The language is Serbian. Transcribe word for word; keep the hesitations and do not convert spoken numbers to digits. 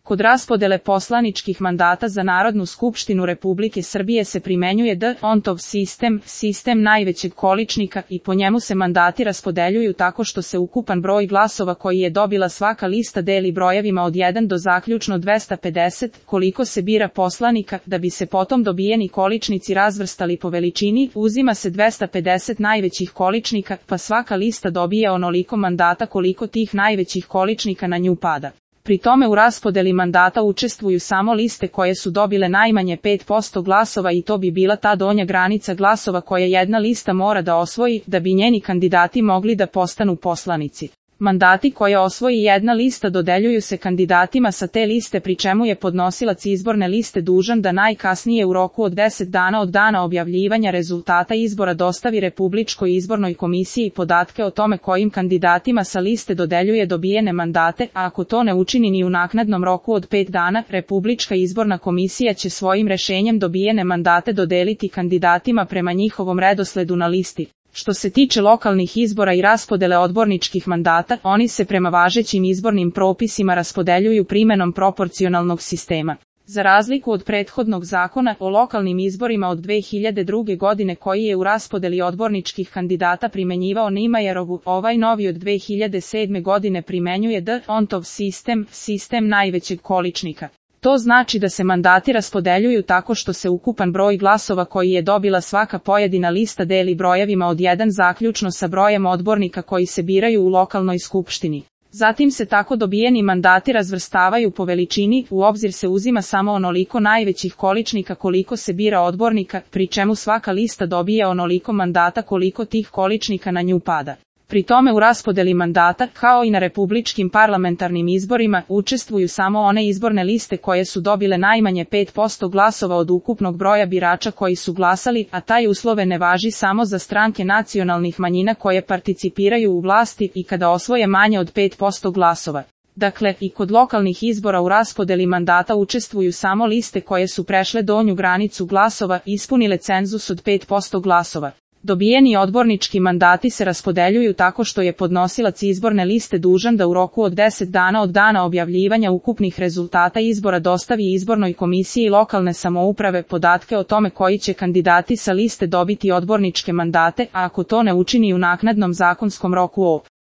Kod raspodele poslaničkih mandata za Narodnu skupštinu Republike Srbije se primenjuje D'Hondtov sistem, sistem najvećeg količnika i po njemu se mandati raspodeljuju tako što se ukupan broj glasova koji je dobila svaka lista deli brojevima od jedan do zaključno dvesta pedeset, koliko se bira poslanika, da bi se potom dobijeni količnici razvrstali po veličini, uzima se dvesta pedeset najvećih količnika, pa svaka lista dobije onoliko mandata koliko tih najvećih količnika na nju pada. Pri tome u raspodeli mandata učestvuju samo liste koje su dobile najmanje pet posto glasova i to bi bila ta donja granica glasova koje jedna lista mora da osvoji da bi njeni kandidati mogli da postanu poslanici. Mandati koje osvoji jedna lista dodeljuju se kandidatima sa te liste pri čemu je podnosilac izborne liste dužan da najkasnije u roku od deset dana od dana objavljivanja rezultata izbora dostavi Republičkoj izbornoj komisiji podatke o tome kojim kandidatima sa liste dodeljuje dobijene mandate, a ako to ne učini ni u naknadnom roku od pet dana, Republička izborna komisija će svojim rešenjem dobijene mandate dodeliti kandidatima prema njihovom redosledu na listi. Što se tiče lokalnih izbora i raspodele odborničkih mandata, oni se prema važećim izbornim propisima raspodeljuju primenom proporcionalnog sistema. Za razliku od prethodnog zakona o lokalnim izborima od dve hiljade druge. godine koji je u raspodeli odborničkih kandidata primenjivao Nimajerovu, ovaj novi od dve hiljade sedme. godine primenjuje D'Hondtov sistem, sistem najvećeg količnika. To znači da se mandati raspodeljuju tako što se ukupan broj glasova koji je dobila svaka pojedina lista deli brojevima od jedan zaključno sa brojem odbornika koji se biraju u lokalnoj skupštini. Zatim se tako dobijeni mandati razvrstavaju po veličini, u obzir se uzima samo onoliko najvećih količnika koliko se bira odbornika, pri čemu svaka lista dobije onoliko mandata koliko tih količnika na nju pada. Pri tome u raspodeli mandata, kao i na republičkim parlamentarnim izborima, učestvuju samo one izborne liste koje su dobile najmanje pet posto glasova od ukupnog broja birača koji su glasali, a taj uslove ne važi samo za stranke nacionalnih manjina koje participiraju u vlasti i kada osvoje manje od pet posto glasova. Dakle, i kod lokalnih izbora u raspodeli mandata učestvuju samo liste koje su prešle donju granicu glasova i ispunile cenzus od pet posto glasova. Dobijeni odbornički mandati se raspodeljuju tako što je podnosilac izborne liste dužan da u roku od deset dana od dana objavljivanja ukupnih rezultata izbora dostavi izbornoj komisiji lokalne samouprave podatke o tome koji će kandidati sa liste dobiti odborničke mandate, a ako to ne učini u naknadnom zakonskom roku o